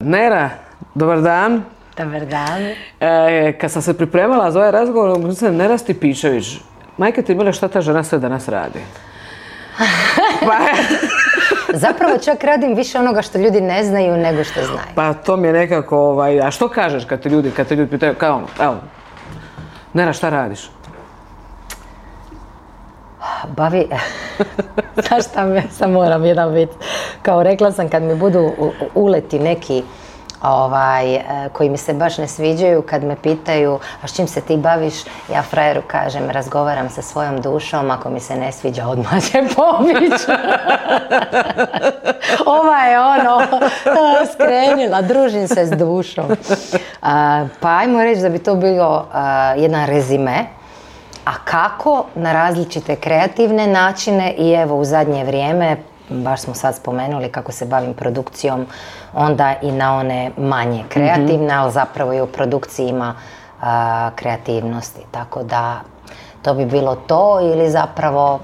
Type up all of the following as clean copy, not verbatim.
Nera, dobar dan. Dobar dan. Kad sam se pripremala za ovaj razgovor, mislim, Nera Stipičević, majke ti mile, šta ta žena sve danas radi? Zapravo čak radim više onoga što ljudi ne znaju nego što znaju. Pa to mi je nekako, a što kažeš kad te ljudi pitaju, kao, evo, Nera, šta radiš? Znaš šta me, sam moram jedan bit. Kao rekla sam, kad mi budu uleti neki koji mi se baš ne sviđaju, kad me pitaju a s čim se ti baviš, ja frajeru kažem razgovaram sa svojom dušom, ako mi se ne sviđa odmah će pobić. Ova je skrenila, družim se s dušom. Pa ajmo reći da bi to bilo jedan rezime. A kako? Na različite kreativne načine i evo u zadnje vrijeme, baš smo sad spomenuli kako se bavim produkcijom, onda i na one manje kreativne, ali zapravo i u produkciji ima kreativnosti. Tako da to bi bilo to ili zapravo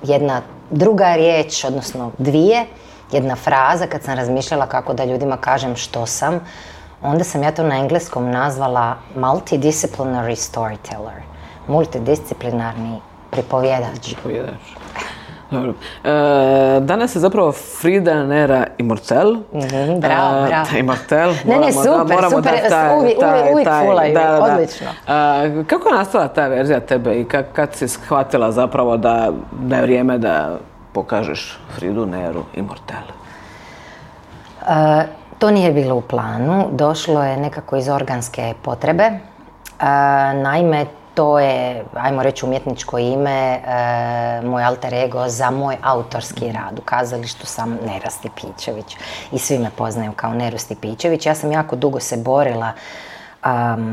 jedna druga riječ, odnosno dvije, jedna fraza kad sam razmišljala kako da ljudima kažem što sam, onda sam ja to na engleskom nazvala multidisciplinary storyteller. Multidisciplinarni pripovjedač. Dobro. Danas je zapravo Frida Nera Immortel. Bravo. Immortel. Ne, super, uvijek fulaju, odlično. Kako je nastala ta verzija tebe i kad si shvatila zapravo da je vrijeme da pokažeš Fridu Neru Immortel? To nije bilo u planu, došlo je nekako iz organske potrebe. Naime, to je, ajmo reći, umjetničko ime, moj alter ego za moj autorski rad. U kazalištu sam Nera Stipičević i svi me poznaju kao Neru Stipičević. Ja sam jako dugo se borila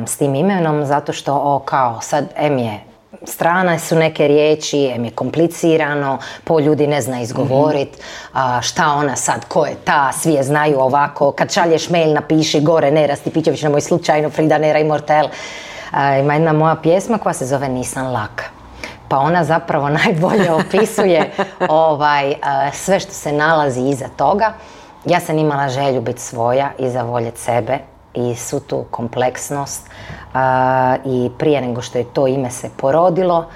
s tim imenom zato što sad je strane su neke riječi, je komplicirano, ljudi ne zna izgovorit, šta ona sad, ko je ta, svi je znaju ovako, kad šalješ mail napiši gore Nera Stipičević, nemoj slučajno Frida Nera Immortel. Ima jedna moja pjesma koja se zove Nisam laka. Pa ona zapravo najbolje opisuje sve što se nalazi iza toga. Ja sam imala želju biti svoja i zavoljeti sebe i svu tu kompleksnost. I prije nego što je to ime se porodilo,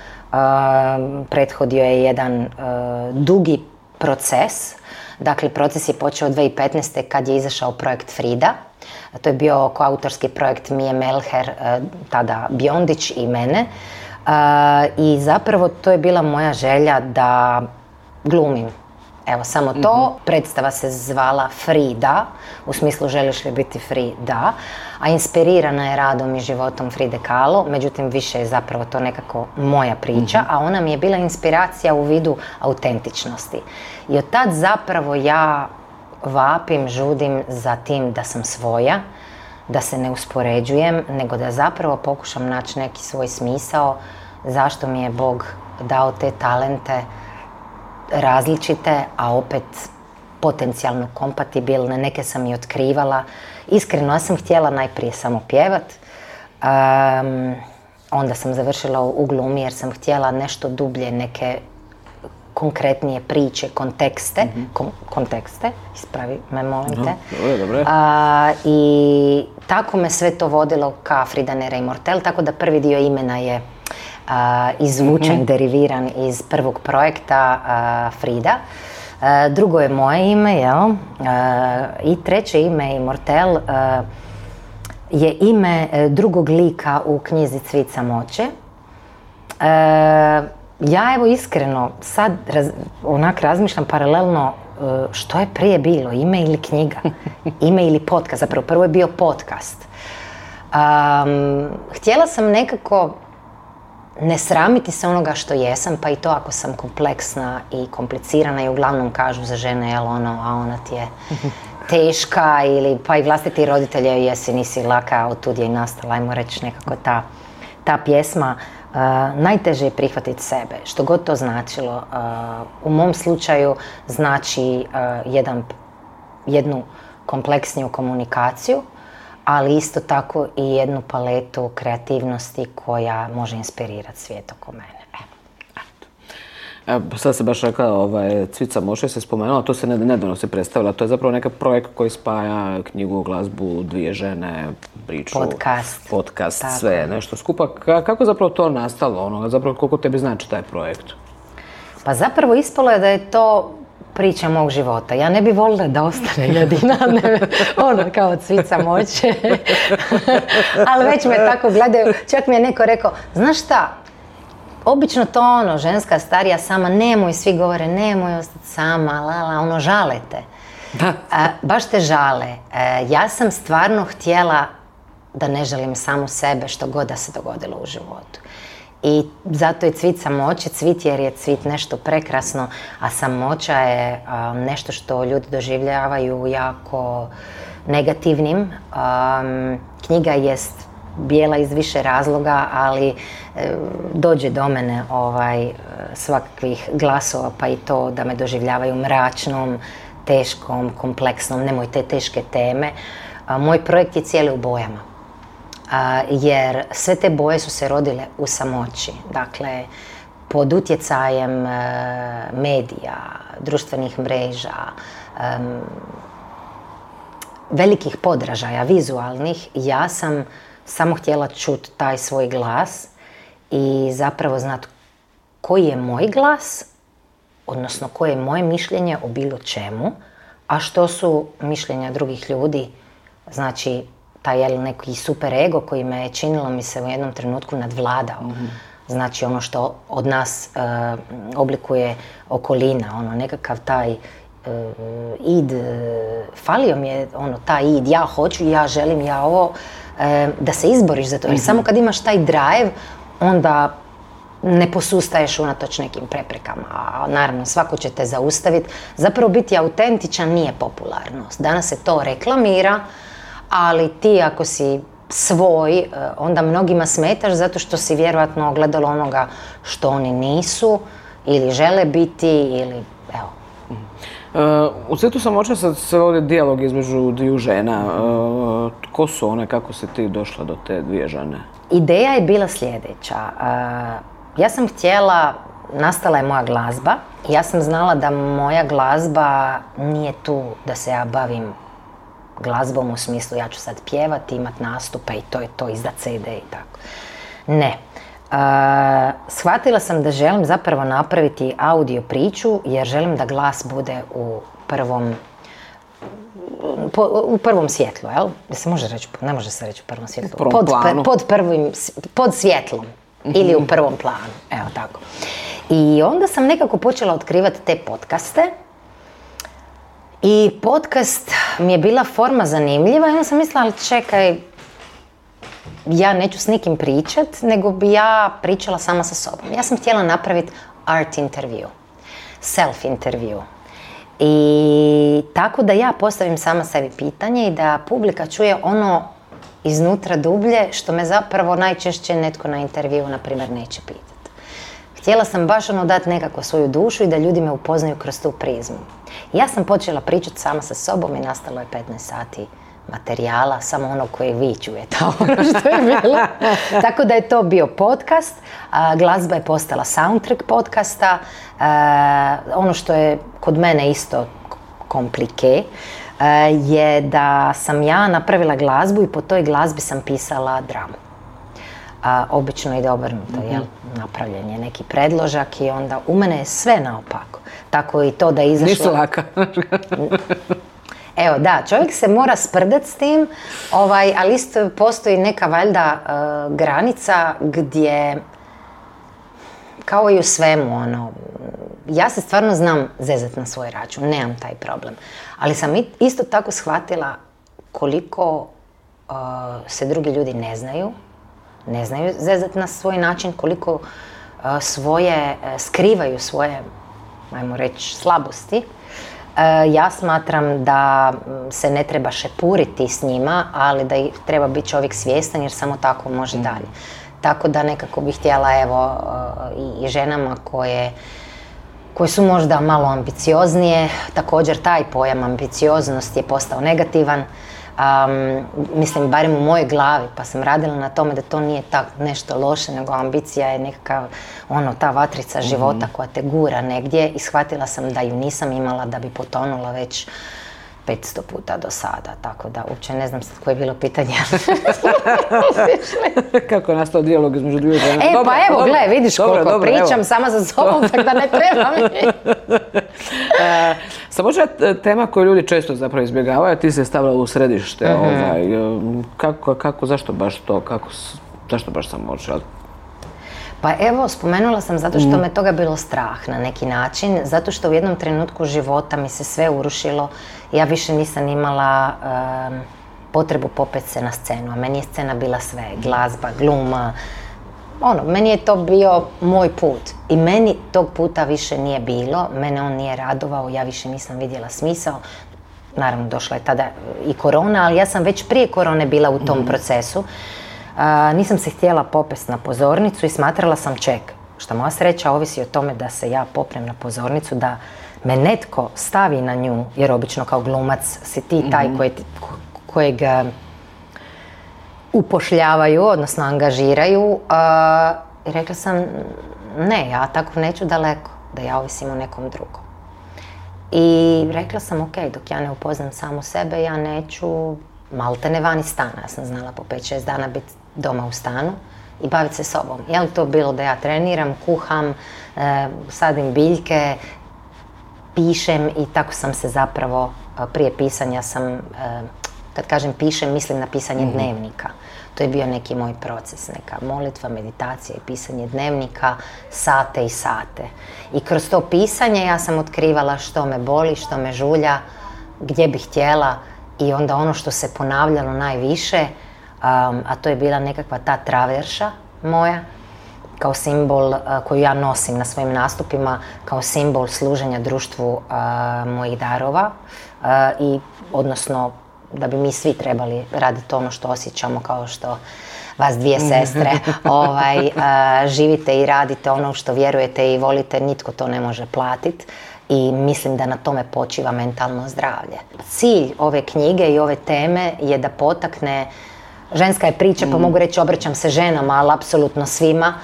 prethodio je jedan dugi proces. Dakle, proces je počeo 2015. kad je izašao projekt Frida. To je bio koautorski projekt Mije Melher, tada Biondić i mene. I zapravo to je bila moja želja da glumim. Evo, samo to. Predstava se zvala Frida, u smislu želiš li biti Frida, a inspirirana je radom i životom Fride Kahlo, međutim više je zapravo to nekako moja priča, a ona mi je bila inspiracija u vidu autentičnosti. I od tad zapravo ja vapim, žudim za tim da sam svoja, da se ne uspoređujem, nego da zapravo pokušam naći neki svoj smisao, zašto mi je Bog dao te talente različite, a opet potencijalno kompatibilne, neke sam i otkrivala. Iskreno, ja sam htjela najprije samo pjevat, onda sam završila u glumi jer sam htjela nešto dublje, neke konkretnije priče, kontekste, ispravi me, molim te. Dobro. I tako me sve to vodilo ka Frida Nera Immortel, tako da prvi dio imena je izvučen, deriviran iz prvog projekta Frida. Drugo je moje ime, i treće ime Immortel je ime drugog lika u knjizi Cvit samoće. Ja evo iskreno sad razmišljam paralelno što je prije bilo, ime ili knjiga, ime ili podcast, zapravo prvo je bio podcast. Htjela sam nekako ne sramiti se onoga što jesam, pa i to ako sam kompleksna i komplicirana i uglavnom kažu za žene, a ona ti je teška ili pa i vlastiti roditelje jesi, nisi laka, od tud je i nastala, ajmo reći nekako ta pjesma. Najteže je prihvatiti sebe, što god to značilo. U mom slučaju znači jednu kompleksniju komunikaciju, ali isto tako i jednu paletu kreativnosti koja može inspirirati svijet oko mene. Sad se baš rekla, Cvica Moše se spomenula, to se nedavno se predstavila, to je zapravo neki projekt koji spaja knjigu, glazbu, dvije žene, priču, podcast, sve nešto skupa. Kako je zapravo to nastalo, zapravo koliko tebi znači taj projekt? Pa zapravo ispalo je da je to priča mog života. Ja ne bi voljela da ostane jedina, kao Cvica Moće. Ali već me tako gledaju. Čak mi je neko rekao, znaš šta, obično to ženska starija sama, nemoj, svi govore, nemoj ostati sama, žale te. Baš te žale. Ja sam stvarno htjela da ne želim samu sebe što god da se dogodilo u životu. I zato je Cvica Moće, cvit jer je cvit nešto prekrasno, a samoća je nešto što ljudi doživljavaju jako negativnim. Knjiga jest bijela iz više razloga, ali dođe do mene svakakvih glasova, pa i to da me doživljavaju mračnom, teškom, kompleksnom, nemoj te teške teme. Moj projekt je cijeli u bojama. Jer sve te boje su se rodile u samoći. Dakle, pod utjecajem medija, društvenih mreža, velikih podražaja, vizualnih, ja sam samo htjela čuti taj svoj glas i zapravo znati koji je moj glas, odnosno koje je moje mišljenje o bilo čemu, a što su mišljenja drugih ljudi, znači taj neki super ego koji me je činilo mi se u jednom trenutku nadvladao. Znači ono što od nas oblikuje okolina, nekakav taj id, falio mi je taj id, ja hoću, ja želim, ja ovo, da se izboriš za to. Jer samo kad imaš taj drive, onda ne posustaješ unatoč nekim preprekama. A naravno, svako će te zaustaviti. Zapravo biti autentičan nije popularnost. Danas se to reklamira, ali ti ako si svoj, onda mnogima smetaš zato što si vjerojatno ogledalo onoga što oni nisu ili žele biti ili evo. U Cvitu Samoće se vodi dijalog između dviju žena. Ko su one, kako si ti došla do te dvije žene? Ideja je bila sljedeća. Ja sam htjela, nastala je moja glazba i ja sam znala da moja glazba nije tu da se ja bavim glazbom u smislu ja ću sad pjevati, imat nastupe i to je to, izdat CD i tako. Ne. Shvatila sam da želim zapravo napraviti audio priču jer želim da glas bude u prvom svjetlu, jel? Se može reći, ne može se reći u prvom svjetlu. Pod svjetlom ili u prvom planu, evo tako. I onda sam nekako počela otkrivati te podcaste. I podcast mi je bila forma zanimljiva i onda sam mislila, ali čekaj, ja neću s nikim pričat, nego bi ja pričala sama sa sobom. Ja sam htjela napraviti art intervju, self intervju. I tako da ja postavim sama sebi pitanje i da publika čuje ono iznutra dublje što me zapravo najčešće netko na intervju, na primjer, neće pitati. Htjela sam baš dati nekako svoju dušu i da ljudi me upoznaju kroz tu prizmu. Ja sam počela pričati sama sa sobom i nastalo je 15 sati materijala, samo ono koje vi čujete, ono što je bilo. Tako da je to bio podcast, glazba je postala soundtrack podcasta, ono što je kod mene isto komplike je da sam ja napravila glazbu i po toj glazbi sam pisala dramu. Obično ide obrnuto, jel? Napravljen je neki predložak i onda u mene je sve naopako. Tako i to da je izašlo... Nisu laka. Evo da, čovjek se mora sprdat s tim, ali isto postoji neka valjda granica gdje, kao i u svemu, ja se stvarno znam zezat na svoj račun, nemam taj problem. Ali sam isto tako shvatila koliko se drugi ljudi ne znaju zezat na svoj način, koliko skrivaju svoje, ajmo reći, slabosti. Ja smatram da se ne treba šepuriti s njima, ali da treba biti čovjek svjestan jer samo tako može dalje. Tako da nekako bih htjela i ženama koje su možda malo ambicioznije, također taj pojam ambicioznost je postao negativan, mislim, barem u mojoj glavi, pa sam radila na tome da to nije tak nešto loše, nego ambicija je nekakav, ta vatrica života koja te gura negdje i shvatila sam da ju nisam imala, da bi potonula već 500 puta do sada, tako da uopće ne znam sad koje je bilo pitanje. Kako je nastao dijalog između dvije žene? Pa evo, gle, vidiš koliko pričam sama za sobom, tako da ne treba mi. Samo tema koju ljudi često zapravo izbjegavaju, ti se stavila u središte. Kako, zašto baš to, zašto baš samoće? Pa evo, spomenula sam zato što me toga bilo strah na neki način, zato što u jednom trenutku života mi se sve urušilo. Ja više nisam imala potrebu popet se na scenu, a meni je scena bila sve, glazba, gluma. Meni je to bio moj put i meni tog puta više nije bilo, mene on nije radovao, ja više nisam vidjela smisao. Naravno, došla je tada i korona, ali ja sam već prije korone bila u tom procesu. Nisam se htjela popest na pozornicu i smatrala sam što moja sreća ovisi o tome da se ja popnem na pozornicu, da me netko stavi na nju, jer obično kao glumac si ti taj kojeg upošljavaju, odnosno angažiraju. I rekla sam, ne, ja tako neću daleko, da ja ovisim o nekom drugom. I rekla sam, ok, dok ja ne upoznam samu sebe, ja neću maltene van iz stana. Ja sam znala po 5-6 dana biti doma u stanu i baviti se sobom. Je li to bilo da ja treniram, kuham, sadim biljke, pišem i tako sam se zapravo, prije pisanja sam, kad kažem pišem, mislim na pisanje dnevnika. To je bio neki moj proces, neka molitva, meditacija i pisanje dnevnika, sate i sate. I kroz to pisanje ja sam otkrivala što me boli, što me žulja, gdje bih htjela i onda ono što se ponavljalo najviše, a to je bila nekakva ta traverša moja, kao simbol koju ja nosim na svojim nastupima, kao simbol služenja društvu mojih darova i odnosno da bi mi svi trebali raditi ono što osjećamo, kao što vas dvije sestre živite i radite ono što vjerujete i volite, nitko to ne može platiti. I mislim da na tome počiva mentalno zdravlje. Cilj ove knjige i ove teme je da potakne, ženska je priča, pa mogu reći obraćam se ženama, ali apsolutno svima,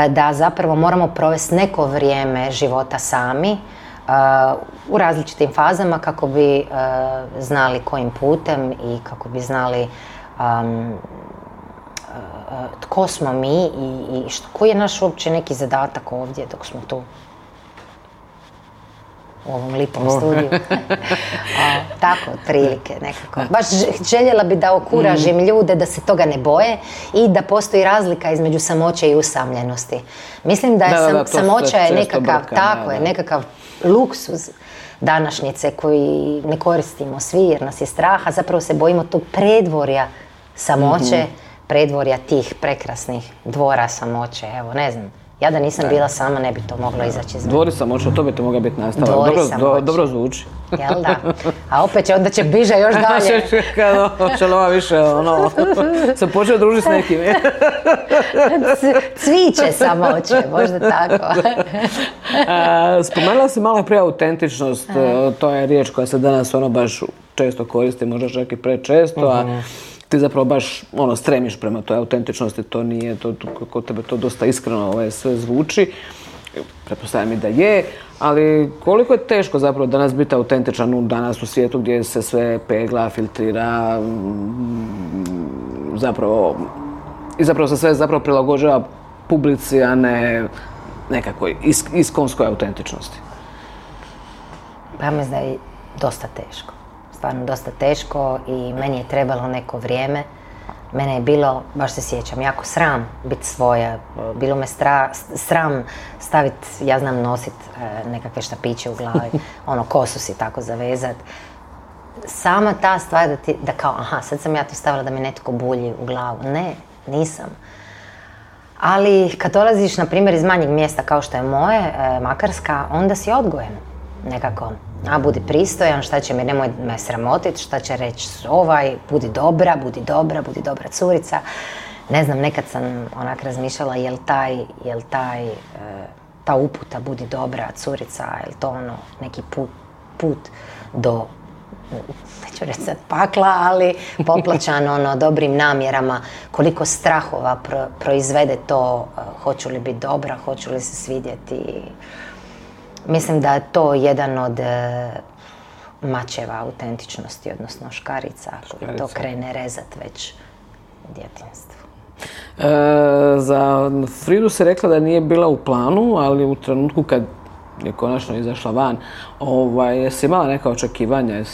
da zapravo moramo provesti neko vrijeme života sami, u različitim fazama kako bi znali kojim putem i kako bi znali tko smo mi i koji je naš uopće neki zadatak ovdje dok smo tu u ovom lipom studiju. Tako, otprilike nekako. Baš željela bi da okuražim ljude da se toga ne boje i da postoji razlika između samoće i usamljenosti. Mislim da je samoća je nekakav luksuz današnjice koji ne koristimo svi jer nas je strah, a zapravo se bojimo tog predvorja samoće, predvorja tih prekrasnih dvora samoće. Evo, ne znam. Ja da nisam bila sama, ne bi to moglo izaći iz mene. Dvori samoće, to bi to mogla biti nastavak. Dobro zvuči. Jel da? A opet onda će bliže još dalje. Šalova više, sam počeo družiti s nekim. Cviće samoće, možda tako. Spomenula si malo prije autentičnost. To je riječ koja se danas baš često koristi, možda čak i prečesto, a ti zapravo baš stremiš prema toj autentičnosti, to nije, kod tebe to dosta iskreno sve zvuči. Pretpostavljam i da je, ali koliko je teško zapravo danas biti autentičan danas u svijetu gdje se sve pegla, filtrira, zapravo se sve zapravo prilagođava publici, a ne nekakvoj iskonskoj autentičnosti. Pa mislim da je dosta teško. Stvarno dosta teško i meni je trebalo neko vrijeme. Mene je bilo, baš se sjećam, jako sram biti svoja. Bilo me sram staviti, ja znam nosit nekakve štapiće u glavi, kosu si tako zavezat. Sama ta stvar da kao, sad sam ja to stavila da mi netko bulji u glavu. Ne, nisam. Ali kad dolaziš, na primjer, iz manjeg mjesta kao što je moje, Makarska, onda si odgojen nekako. Budi pristojan, šta će mi, nemoj me sramotit, šta će reći budi dobra curica. Ne znam, nekad sam onak razmišljala ta uputa budi dobra curica, je li to neki put do neću reći sad pakla, ali poplaćan dobrim namjerama, koliko strahova proizvede to, hoću li biti dobra, hoću li se svidjeti. Mislim da je to jedan od mačeva autentičnosti, odnosno škarica, koji to krene rezat već u djetinjstvu. Za Fridu se rekla da nije bila u planu, ali u trenutku kad je konačno izašla van, jesi imala neka očekivanja,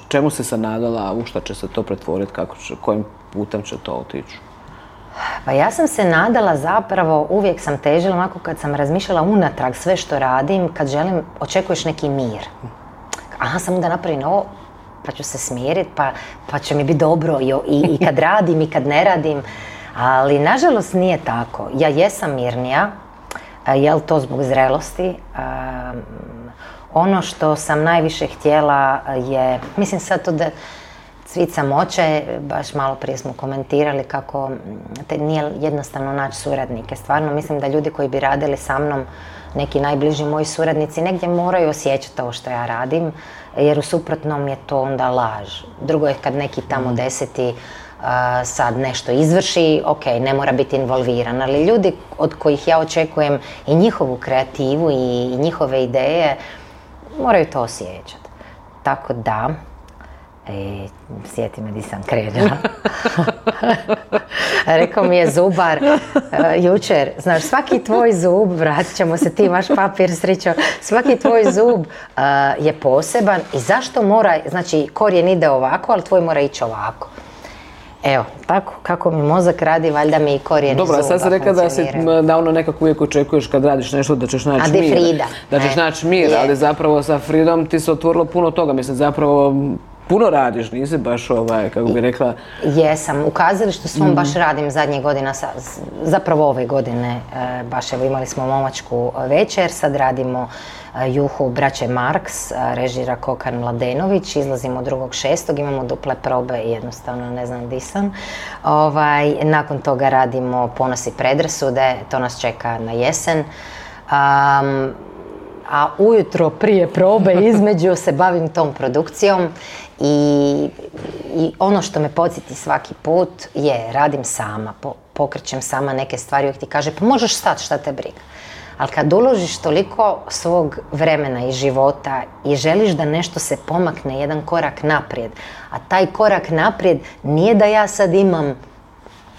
čemu si se nadala, u šta će se to pretvoriti, kojim putem će to otići? Pa ja sam se nadala zapravo, uvijek sam težila, onako kad sam razmišljala unatrag sve što radim, kad želim, očekuješ neki mir. Aha, sam onda napravim ovo, pa ću se smiriti, pa će mi biti dobro i kad radim i kad ne radim. Ali nažalost nije tako. Ja jesam mirnija, jel to zbog zrelosti. Ono što sam najviše htjela je, mislim sad to da cvit samoće, baš malo prije smo komentirali kako nije jednostavno naći suradnike. Stvarno mislim da ljudi koji bi radili sa mnom, neki najbliži moji suradnici, negdje moraju osjećati ovo što ja radim, jer u suprotnom je to onda laž. Drugo je kad neki tamo deseti sad nešto izvrši, ok, ne mora biti involviran, ali ljudi od kojih ja očekujem i njihovu kreativu i njihove ideje, moraju to osjećati. Tako da, sjeti me di sam krenula. Rekao mi je zubar jučer, znaš, svaki tvoj zub, vratit ćemo se, ti imaš papir, Srićo, svaki tvoj zub je poseban i zašto mora, znači korijen ide ovako, ali tvoj mora ići ovako. Evo, tako kako mi mozak radi, valjda mi i korijeni zuba funkcioniraju. Dobro, sad si rekla da nekako uvijek očekuješ kad radiš nešto da ćeš naći mir. Frida. Da ćeš naći mir, ali zapravo sa Fridom ti se otvorilo puno toga. Mislim, zapravo puno radiš, nisi baš kako bi rekla... Jesam, u kazalištu svom baš radim zadnjih godina, zapravo ove godine, baš evo imali smo momačku večer, sad radimo Juhu braće Marks, režira Kokan Mladenović, izlazimo 2.6. imamo duple probe i jednostavno ne znam di sam. Nakon toga radimo Ponos i predrasude, to nas čeka na jesen. A ujutro prije probe između se bavim tom produkcijom i ono što me podsjeti svaki put je radim sama, pokrećem sama neke stvari, uvijek ti kaže pa možeš stati, šta te briga. Ali kad uložiš toliko svog vremena i života i želiš da nešto se pomakne jedan korak naprijed, a taj korak naprijed nije da ja sad imam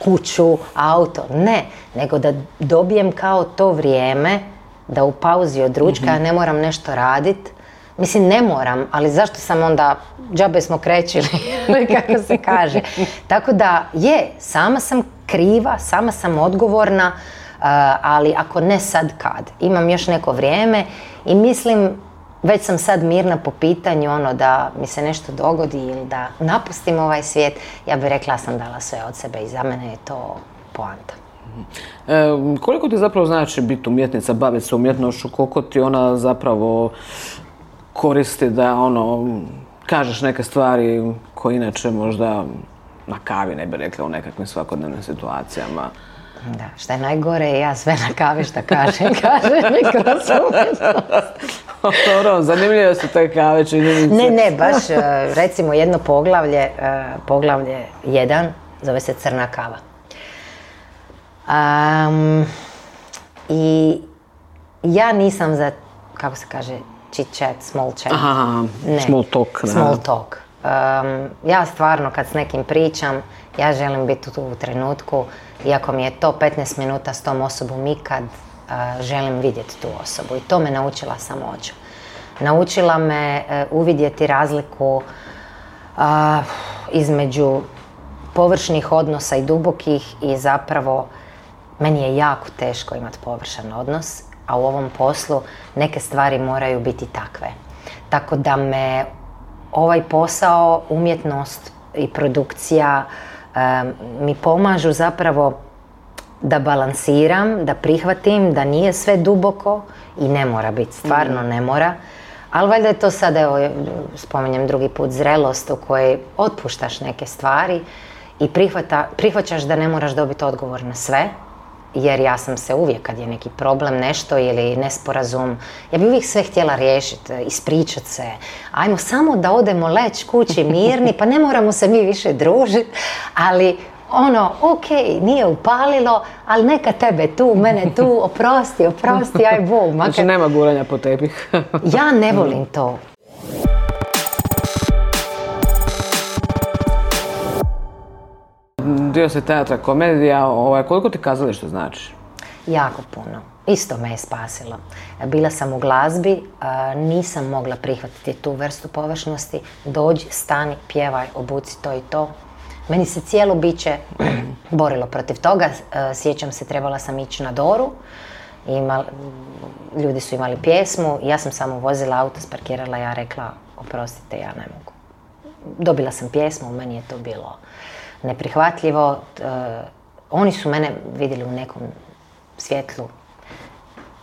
kuću, auto, ne, nego da dobijem kao to vrijeme da u pauzi od ručka ne moram nešto raditi. Mislim, ne moram, ali zašto sam onda, džabe smo krećili, kako se kaže. Tako da, sama sam kriva, sama sam odgovorna, ali ako ne sad kad. Imam još neko vrijeme i mislim, već sam sad mirna po pitanju da mi se nešto dogodi ili da napustim ovaj svijet, ja bih rekla sam dala sve od sebe i za mene je to poanta. Koliko ti zapravo znači biti umjetnica, baviti se umjetnošću, koliko ti ona zapravo koristi da kažeš neke stvari koje inače možda na kavi ne bi rekla u nekakvim svakodnevnim situacijama? Da, šta je najgore, ja sve na kavi šta kažem mi kroz umjetnost. Dobro, zanimljive su te kave, činjenice. Ne, baš recimo jedno poglavlje 1, zove se Crna kava. I ja nisam za, kako se kaže, chit chat, small chat. Aha, small talk. Small talk. Ja stvarno kad s nekim pričam, ja želim biti tu u trenutku, iako mi je to 15 minuta s tom osobom ikad, želim vidjeti tu osobu. I to me naučila samoća. Naučila me uvidjeti razliku između površnih odnosa i dubokih i zapravo meni je jako teško imati površan odnos, a u ovom poslu neke stvari moraju biti takve. Tako da me ovaj posao, umjetnost i produkcija mi pomažu zapravo da balansiram, da prihvatim, da nije sve duboko i ne mora biti, stvarno ne mora. Ali valjda je to sad, evo, spominjem drugi put, zrelost u kojoj otpuštaš neke stvari i prihvaćaš da ne moraš dobiti odgovor na sve, jer ja sam se uvijek, kad je neki problem, nešto ili nesporazum, ja bi uvijek sve htjela riješiti, ispričat se. Ajmo samo da odemo leći kući mirni, pa ne moramo se mi više družiti, ali ok, nije upalilo, ali neka tebe tu, mene tu, oprosti, aj Bog. Znači nema guranja po tepih. Ja ne volim to. Dio si teatra, komedija, koliko ti kazalište znači? Jako puno. Isto me je spasilo. Bila sam u glazbi, nisam mogla prihvatiti tu vrstu površnosti. Dođi, stani, pjevaj, obuci to i to. Meni se cijelo biće borilo protiv toga. Sjećam se, trebala sam ići na Doru. Ljudi su imali pjesmu, ja sam samo vozila auto, sparkirala, ja rekla, oprostite, ja ne mogu. Dobila sam pjesmu, meni je to bilo neprihvatljivo. Oni su mene vidjeli u nekom svjetlu.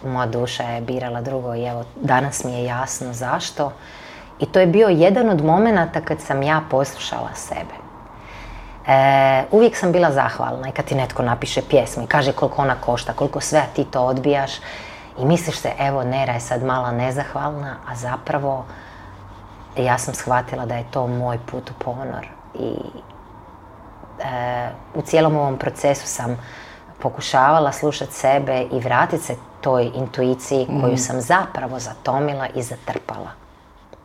Moja duša je birala drugo i evo, danas mi je jasno zašto. I to je bio jedan od momenata kad sam ja poslušala sebe. Uvijek sam bila zahvalna i kad ti netko napiše pjesmu i kaže koliko ona košta, koliko sve ti to odbijaš i misliš se, evo Nera je sad mala nezahvalna, a zapravo ja sam shvatila da je to moj put u ponor. I u cijelom ovom procesu sam pokušavala slušati sebe i vratiti se toj intuiciji koju sam zapravo zatomila i zatrpala.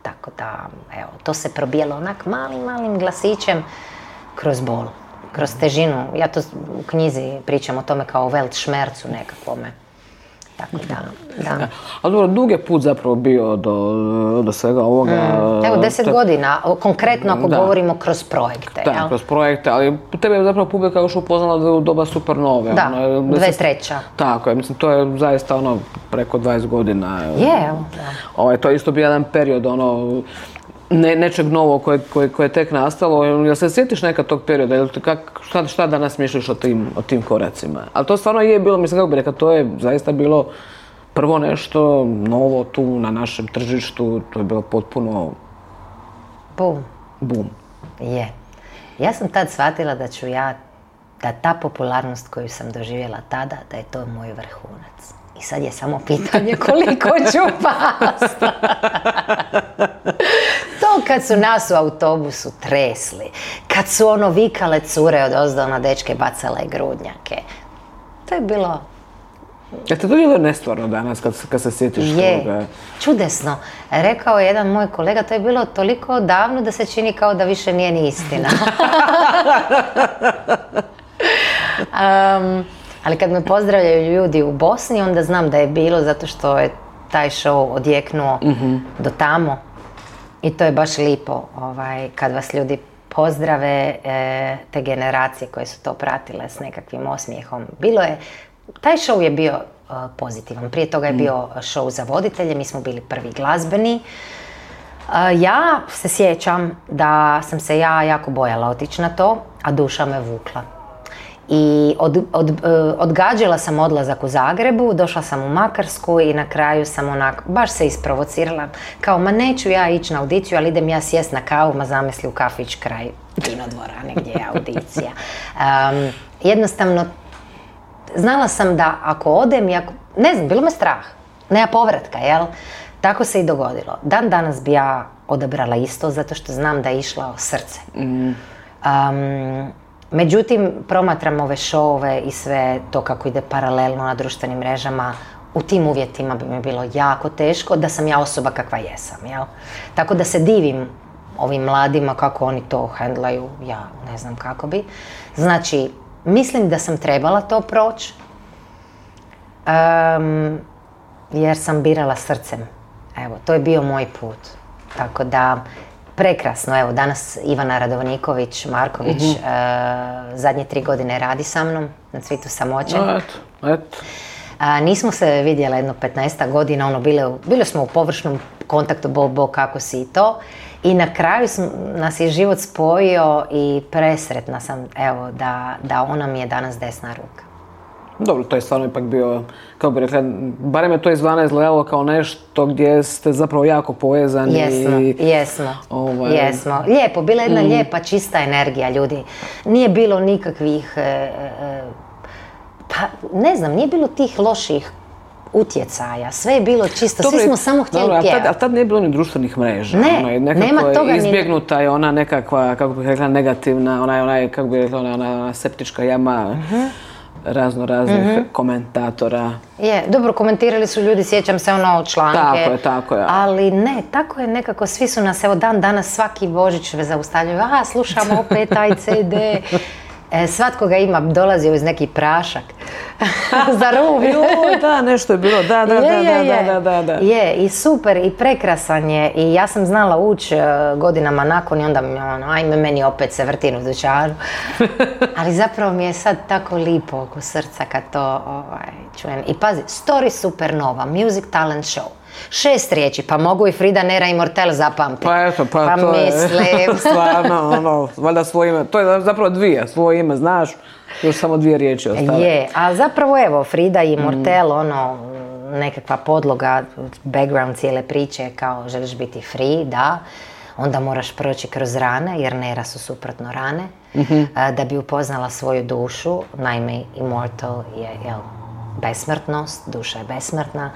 Tako da, evo, to se probijalo onak malim glasićem kroz bol, kroz težinu. Ja to u knjizi pričam o tome kao o Weltschmerzu nekakvome. Tako da. Ali dobro, dug je put zapravo bio do svega ovoga. Evo, 10 godina, konkretno ako govorimo kroz projekte. Da, kroz projekte, ali tebe je zapravo publika još upoznala u doba Supernove. Da, 2003. Tako je, mislim, to je zaista preko 20 godina. Evo, da. To je isto bio jedan period, nečeg novog koje je tek nastalo. Jel se sjetiš nekad tog perioda? Šta danas misliš o tim koracima? Ali to stvarno je bilo, mislim, kako bi rekao, to je zaista bilo prvo nešto novo tu na našem tržištu. To je bilo potpuno... Bum. Je. Ja sam tad shvatila da ta popularnost koju sam doživjela tada, da je to moj vrhunac. I sad je samo pitanje koliko ću past. To kad su nas u autobusu tresli, kad su vikale cure odozdo na dečke, bacale grudnjake. To je bilo... Je to bilo nestvarno danas kad se sjetiš toga? Je, čudesno. Rekao je jedan moj kolega, to je bilo toliko davno da se čini kao da više nije ni istina. Ali kad me pozdravljaju ljudi u Bosni, onda znam da je bilo zato što je taj show odjeknuo do tamo. I to je baš lipo kad vas ljudi pozdrave, te generacije koje su to pratile s nekakvim osmijehom. Taj show je bio pozitivan. Prije toga je bio show za voditelje, mi smo bili prvi glazbeni. Ja se sjećam da sam se ja jako bojala otići na to, a duša me vukla. I odgađala sam odlazak u Zagrebu, došla sam u Makarsku i na kraju sam baš se isprovocirala. Kao, ma neću ja ići na audiciju, ali idem ja sjest na kavu, ma zamisli u kafić kraj Kinodvorane gdje je audicija. Jednostavno, znala sam da ako odem, ne znam, bilo me strah, nema povratka, jel? Tako se i dogodilo. Dan danas bi ja odabrala isto, zato što znam da je išlo srce. Međutim, promatram ove šove i sve to kako ide paralelno na društvenim mrežama. U tim uvjetima bi mi bilo jako teško da sam ja osoba kakva jesam, jel? Tako da se divim ovim mladima kako oni to handlaju, ja ne znam kako bi. Znači, mislim da sam trebala to proći, jer sam birala srcem. Evo, to je bio moj put. Tako da, prekrasno, evo, danas Ivana Radovniković-Marković zadnje 3 godine radi sa mnom na Cvitu samoće. Eto. Nismo se vidjeli jedno 15 godina, bili smo u površnom kontaktu, bo, kako si i to. I na kraju nas je život spojio i presretna sam, evo, da ona mi je danas desna ruka. Dobro, to je stvarno ipak bio, kako bi rekla, barem je to izvana izgledalo kao nešto gdje ste zapravo jako povezani. Jesmo. Lijepo, bila jedna lijepa, čista energija ljudi. Nije bilo nikakvih Pa, ne znam, nije bilo tih loših utjecaja, sve je bilo čisto, svi smo samo htjeli pjevati. Ali tad nije bilo ni društvenih mreža. Ne, nema toga. Izbjegnuta je ona nekakva, kako bih rekla, negativna, kako bih rekla, ona septička jama raznih komentatora. Je, dobro, komentirali su ljudi, sjećam se članke. Tako je. Ali ne, tako je nekako, svi su nas, evo danas svaki Božić zaustavljaju, slušamo opet taj CD. Svatko ga ima, dolazio iz neki prašak za ruv. Da, nešto je bilo, da. Je, i super, i prekrasan je. I ja sam znala ući godinama nakon i onda mi ajme meni opet se vrtim u dućanu. Ali zapravo mi je sad tako lipo oko srca kad to čujem. I pazi, Story Supernova, Music Talent Show. 6 riječi, pa mogu i Frida Nera i Mortel zapamtiti. Pa eto, pa to mislim. Je stvarno, valjda svoje ime, to je zapravo 2, svoje ime znaš, još samo 2 riječi ostale. Je, a zapravo evo, Frida i Mortel, nekakva podloga, background cijele priče kao želiš biti free, da, onda moraš proći kroz rane, jer Nera su suprotno rane, da bi upoznala svoju dušu, naime immortal je, besmrtnost, duša je besmrtna,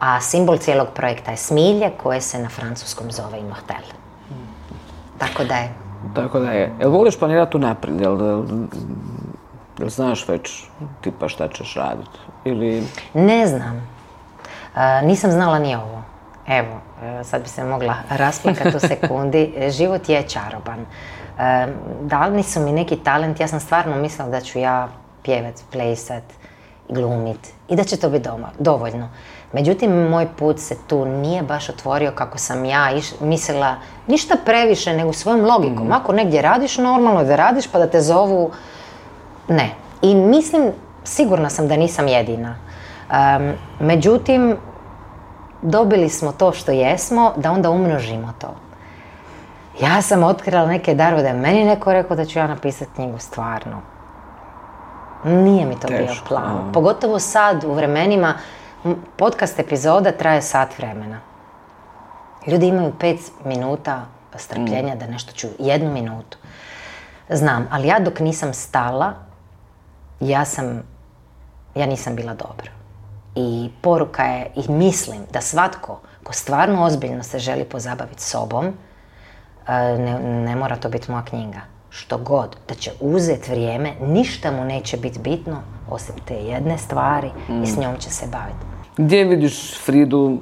a simbol cijelog projekta je smilje koje se na francuskom zove immortel. Tako da je. Jel voliš planirati unaprijed? Jel znaš već tipa šta ćeš raditi? Ili... Ne znam. Nisam znala ni ovo. Evo, sad bi se mogla rasplakati u sekundi. Život je čaroban. Dali su mi neki talent, ja sam stvarno mislila da ću ja pjevat, plesat, glumit i da će to biti dovoljno. Međutim, moj put se tu nije baš otvorio kako sam ja mislila, ništa previše nego svojom logikom. Ako negdje radiš, normalno da radiš pa da te zovu, ne. I mislim, sigurna sam da nisam jedina. Međutim, dobili smo to što jesmo, da onda umnožimo to. Ja sam otkrila neke darove, da je meni neko rekao da ću ja napisati knjigu, stvarno. Nije mi to bio plan. Pogotovo sad, u vremenima, podcast epizoda traje sat vremena. Ljudi imaju 5 minuta strpljenja da nešto čuju. 1 minutu. Znam, ali ja dok nisam stala, ja nisam bila dobra. I poruka je, i mislim da svatko ko stvarno ozbiljno se želi pozabaviti sobom, ne mora to biti moja knjiga. Što god, da će uzeti vrijeme, ništa mu neće biti bitno osim te jedne stvari i s njom će se baviti. Gdje vidiš Fridu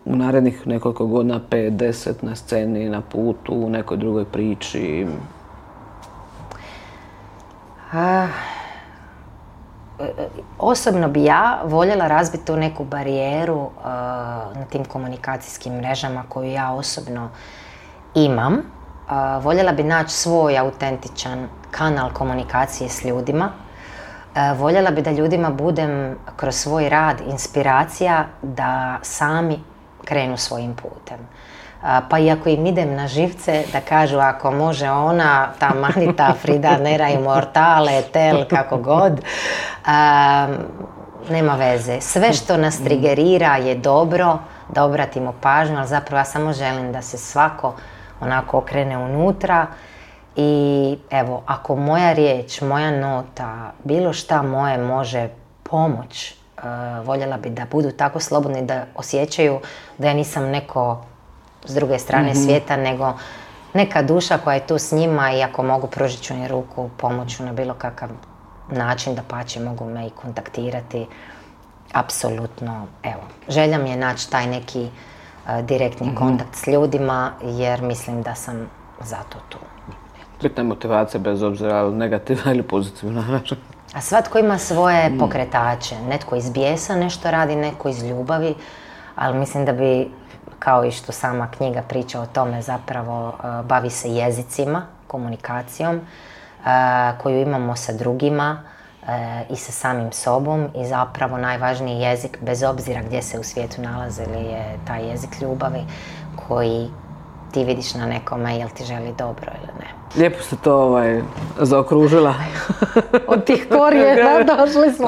u narednih nekoliko godina, 5, 10 na sceni, na putu, u nekoj drugoj priči? Osobno bi ja voljela razbiti tu neku barijeru na tim komunikacijskim mrežama koju ja osobno imam. Voljela bi naći svoj autentičan kanal komunikacije s ljudima. Voljela bi da ljudima budem kroz svoj rad inspiracija da sami krenu svojim putem. Pa i ako im idem na živce, da kažu ako može ona, ta Manita, Frida Nera, Immortale, Tel, kako god, nema veze. Sve što nas trigerira je dobro, da obratimo pažnju, ali zapravo ja samo želim da se svako onako okrene unutra i evo, ako moja riječ, moja nota, bilo šta moje može pomoć, voljela bi da budu tako slobodni da osjećaju da ja nisam neko s druge strane svijeta, nego neka duša koja je tu s njima i ako mogu pružit ću im ruku, pomoću na bilo kakav način, da pače mogu me i kontaktirati. Apsolutno, evo, želja mi je naći taj neki direktni kontakt s ljudima, jer mislim da sam zato tu. Bitna je motivacija bez obzira negativna ili pozitivna. A svatko ima svoje pokretače. Netko iz bijesa nešto radi, netko iz ljubavi, ali mislim da bi, kao i što sama knjiga priča o tome, zapravo bavi se jezicima, komunikacijom koju imamo sa drugima i sa samim sobom i zapravo najvažniji jezik, bez obzira gdje se u svijetu nalazili, je taj jezik ljubavi koji ti vidiš na nekome jel ti želi dobro ili ne. Lijepo ste to zaokružila. Od tih korijena došli smo.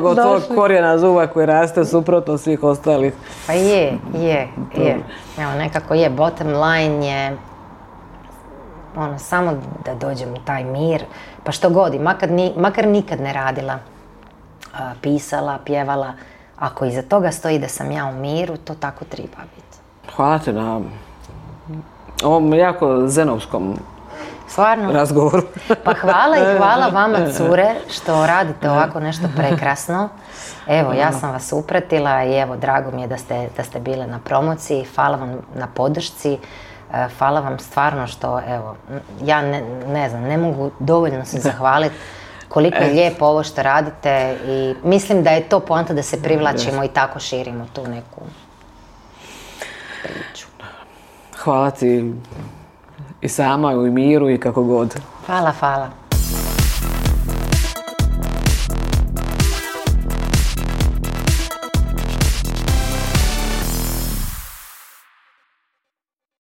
Od tog korijena zuba koji raste suprotno svih ostalih. Pa je. Evo, nekako je, bottom line je samo da dođem u taj mir, pa što god, makar nikad ne radila pisala, pjevala. Ako iza toga stoji da sam ja u miru, to tako treba biti. Hvala ti na ovom jako zenovskom razgovoru. Pa hvala i hvala vama, cure, što radite ovako nešto prekrasno. Evo, ja sam vas upratila i evo, drago mi je da ste bile na promociji. Hvala vam na podršci. Hvala vam stvarno što, evo, ja ne znam, ne mogu dovoljno se zahvaliti koliko je lijepo ovo što radite i mislim da je to poanta da se privlačimo i tako širimo tu neku priču. Hvala ti i sama, i u miru i kako god. Hvala.